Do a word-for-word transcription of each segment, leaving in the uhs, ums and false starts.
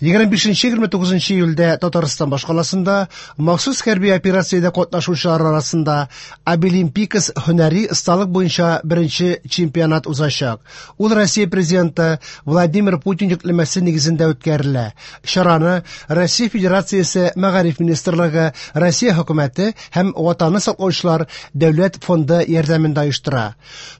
егерме бишенче егерме тугызынчы июльдә Татарстан башкаласында махсус хәрби операциядә катнашучылар арасында Абилимпикс һөнәри осталык буенча беренче чемпионат узачак. Ул Россия президенты Владимир Путин йөкләмәсе нигезендә үткәрелә. Чараны Россия Федерациясе Мәгариф министрлыгы, Россия хөкүмәте һәм Ватанны саклаучылар дәүләт фонды ярдәмендә оештыра.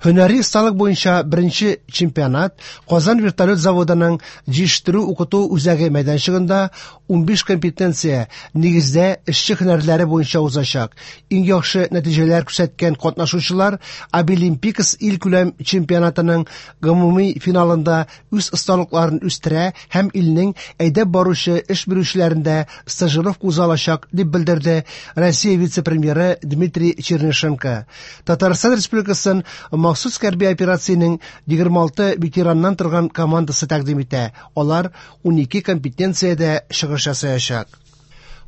Һөнәри осталык буенча беренче чемпионат Казан вертолет заводының җитештерү укыту үзәге мәйданчыгында унбиш компетенция нигездә эшче һөнәрләре буенча узачак. Иң яхшы нәтиҗәләр күрсәткән катнашучылар Абилимпикс илкүләм чемпионатының гомуми финалында үз осталыкларын үстерә һәм илнең әйдәп баручы эш бирүчеләрендә стажировка уза алачак, дип белдерде Россия вице-премьеры Дмитрий Чернышенко. Татарстан Республикасын махсус хәрби операциянең егерме алты ветераннан торган командасы тәкъдим итә. Алар унике компетенциядә чыгыш ясаячак.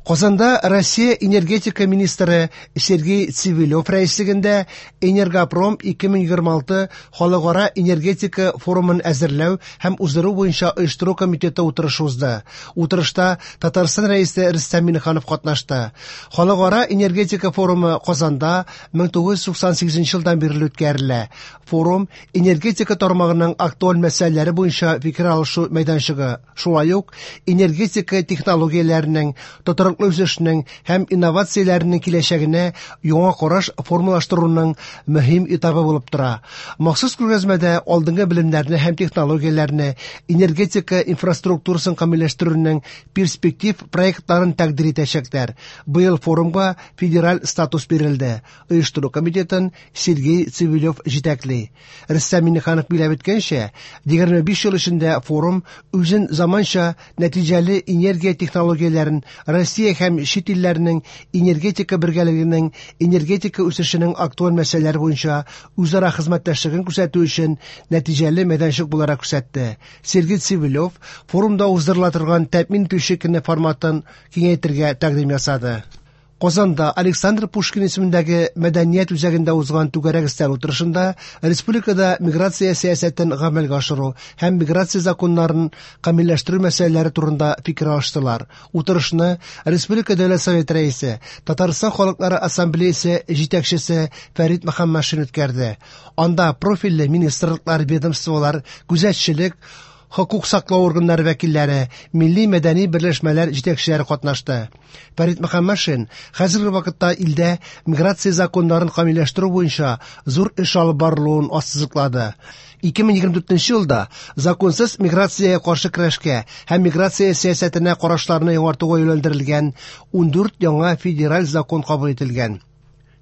Казанда Россия энергетика министры Сергей Цивилев рәислегендә Энергопром ике мең егерме алты халыкара энергетика форумын әзерләү һәм уздыру буенча оештыру комитеты утырышы узды. Утырышта Татарстан рәисе Рөстәм Миңнеханов катнашты. Халыкара энергетика форумы Казанда мең тугыз йөз туксан сигезенче елдан бирле үткәрелә. Форум энергетика тармагының актуаль мәсьәләләре буенча фикер алышу мәйданчыгы, шулай ук энергетика технологияләренең тотрыклы үсешенең һәм инновацияләренең киләчәгенә яңа караш формалаштыруның мөһим этабы булып тора. Махсус күргәзмәдә алдынгы белемнәрне һәм технологияләрне, энергетика инфраструктурасын камилләштерүнең перспектив проектларын тәкъдир итәчәкләр. Быел форумга федераль статус бирелде. Оештыру комитетын Сергей Цивилев җитәкли. Рөстәм Миңнеханов билгеләп үткәнчә, егерме биш ел эчендә форум үзен заманча нәтиҗәле энергия технологияләрен Россия һәм чит илләрнең энергетика бергәлегенең энергетика үсешенең актуаль мәсьәләләре буенча үзара хезмәттәшлеген күрсәтү өчен нәтиҗәле мәйданчык буларак күрсәтте. Сергей Цивилев форумда уздырыла торган тәэмин итүче көне форматын киңәйтергә тәкъдим ясады. Казанда Александр Пушкин исемендәге мәдәният үзәгендә узган түгәрәк өстәл утырышында республикада миграция сәясәтен гамәлгә ашыру һәм миграция законнарын камилләштерү мәсьәләләре турында фикер алыштылар. Утырышны Республика Дәүләт Советы рәисе, Татарстан Халыклары Ассамблеясы җитәкчесе Фәрит Мөхәммәтшин үткәрде. Анда профильле министрлыклар, ведомстволар, күзәтчелек, хокук саклау органнары вәкилләре, милли мәдәни берләшмәләр җитәкчеләре катнашты. Фәрит Мөхәммәтшин хәзерге вакытта илдә миграция законнарын камилләштерү буенча зур эш алып барылуын ассызыклады. Ике мең егерме дүртенче елда законсыз миграциягә каршы көрәшкә һәм миграция сәясәтенә карашларны яңартуга юнәлдерелгән ундүрт яңа федераль закон кабул ителгән.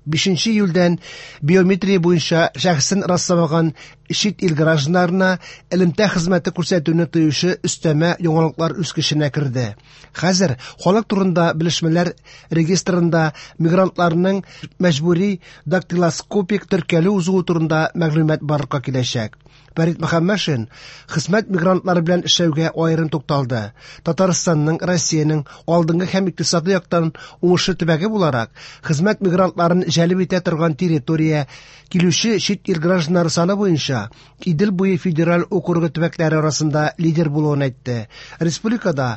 Бишенче июльдән биометрия буенча шәхесен расламаган чит ил гражданнарына элемтә хезмәте күрсәтүне тыючы өстәмә яңалыклар үз көченә керде. Хәзер халык турында белешмәләр регистрында мигрантларның мәҗбүри дактилоскопик теркәлү узуы турында мәгълүмат барлыкка киләчәк. Фәрит Мөхәммәтшин хезмәт мигрантлары белән эшләүгә аерым тукталды. Татарстанның, Россиянең алдынгы һәм икътисади яктан уңышлы төбәге буларак, хезмәт мигрантларын җәлеп итә торган территория килүче чит ил гражданнары саны буенча Идел буе федераль округы төбәкләре арасында лидер булуын әйтте. Республикада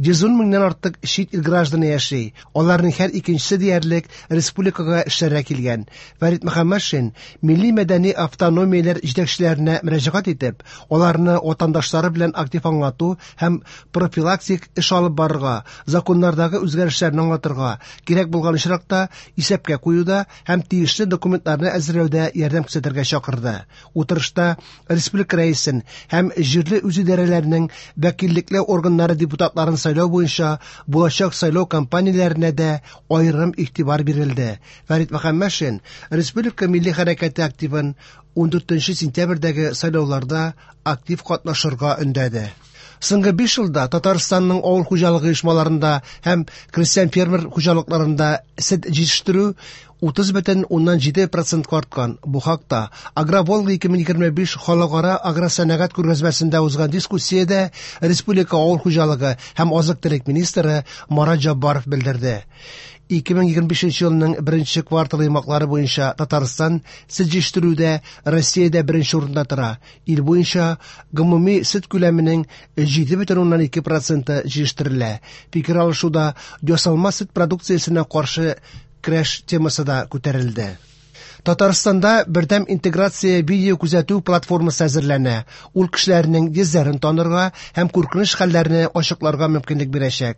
йөз ун меңнән артык чит ил гражданы яши. Аларның һәр икенчесе диярлек республикага эшләргә килгән. Фәрит Мөхәммәтшин милли мәдәни автономияләр җитәкчеләренә мөрәҗәгать итеп, аларны ватандашлары белән актив аңлату һәм профилактик эш алып барырга, законнардагы үзгәрешләрне аңлатырга, кирәк булган очракта исәпкә куюда һәм тиешле документларны әзерләүдә ярдәм күрсәтергә чакырды. Утырышта республика рәисен һәм җирле үзидарәләрнең вәкиллекле органнары депутатларын сайлау буенча булачак сайлау кампанияләренә дә аерым игътибар бирелде. Фәрит Мөхәммәтшин республика милли хәрәкәте активын ундүртенче сентябрьдәге сайлауларда актив катнашырга өндәде. Соңгы биш елда Татарстанның авыл хуҗалыгы оешмаларында һәм крестьян фермер хуҗалыкларында сөт җитештерү утыз бөтен уннан җиде процентка арткан. Бу хакта Агроволга ике мең егерме биш халыкара агросәнәгать күргәзмәсендә узган дискуссиядә республика авыл хуҗалыгы һәм азык-төлек министры Марат Җаббаров белдерде. Ике мең егерме бишенче елның беренче кварталы йомгаклары буенча Татарстан сөт җитештерүдә Россиядә беренче урында тора. Ил буенча гомуми сөт күләменең җиде бөтен уннан ике проценты җитештерелә. Фикер алышуда ясалма сөт продукциясенә каршы көрәш темасы да күтәрелде. Татарстанда бердәм интеграция видео күзәтү платформасы әзерләнә. Ул кешеләрнең йөзләрен танырга һәм куркыныч хәлләрне ачыкларга мөмкинлек бирәчәк.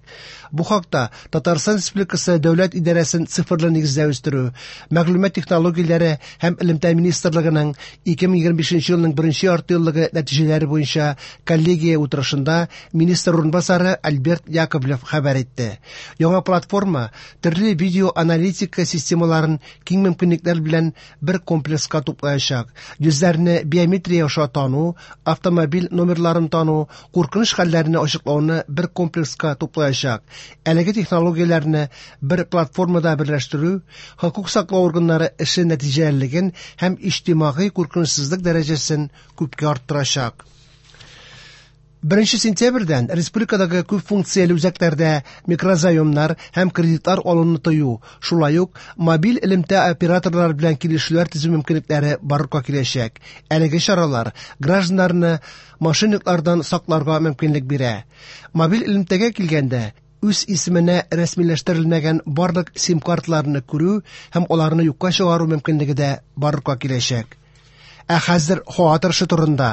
Бу хакта Татарстан Республикасы Дәүләт идарәсен цифрлы нигездә үстерү, мәгълүмат технологияләре һәм элемтә министрлыгының ике мең егерме бишенче елның беренче ярты еллыгы нәтиҗәләре буенча коллегия утырышында министр урынбасары Альберт Яковлев хәбәр итте. Яңа платформа төрле видеоаналитика системаларын киң мөмкинлекләр белән бер комплекска туплаячак. Йөзләрне биометрия аша тану, автомобиль номерларын тану, куркыныч хәлләрне ачыклауны бер комплекска туплаячак. Әлеге технологияләрне бер платформада берләштерү хокук саклау органнары эше нәтиҗәлелеген һәм иҗтимагый куркынычсызлык дәрәҗәсен күпкә арттырачак. Беренче сентябрьдән республикадагы күп функцияле үзәкләрдә микрозаемнар һәм кредитлар алуны тыю, шулай ук мобиль элемтә операторлары белән килешүләр төзү мөмкинлекләре барлыкка киләчәк. Әлеге чаралар гражданнарны мошенниклардан сакларга мөмкинлек бирә. Мобиль элемтәгә килгәндә, үз исеменә рәсмиләштерелмәгән барлык сим-карталарны күрү һәм аларны юкка чыгару мөмкинлеге дә барлыкка киләчәк. Ә хәзер һава торышы турында.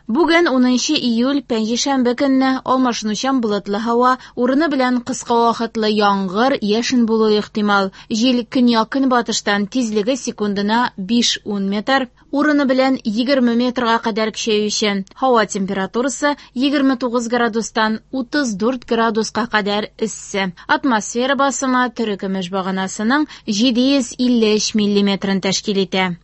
Бүген унынчы июль пәнҗешәмбе көнне алмашынучан болытлы һава, урыны белән кыска вакытлы яңгыр, яшен булуы ихтимал. Җил көньяк-көнбатыштан тизлеге секундына биш-ун метр, урыны белән егерме метрга кадәр көчәючән. Һава температурасы егерме тугыз градустан утыз дүрт градуска кадәр эссе. Атмосфера басымы терекөмеш баганасының җиде йөз илле өч миллиметрын тәшкил итә.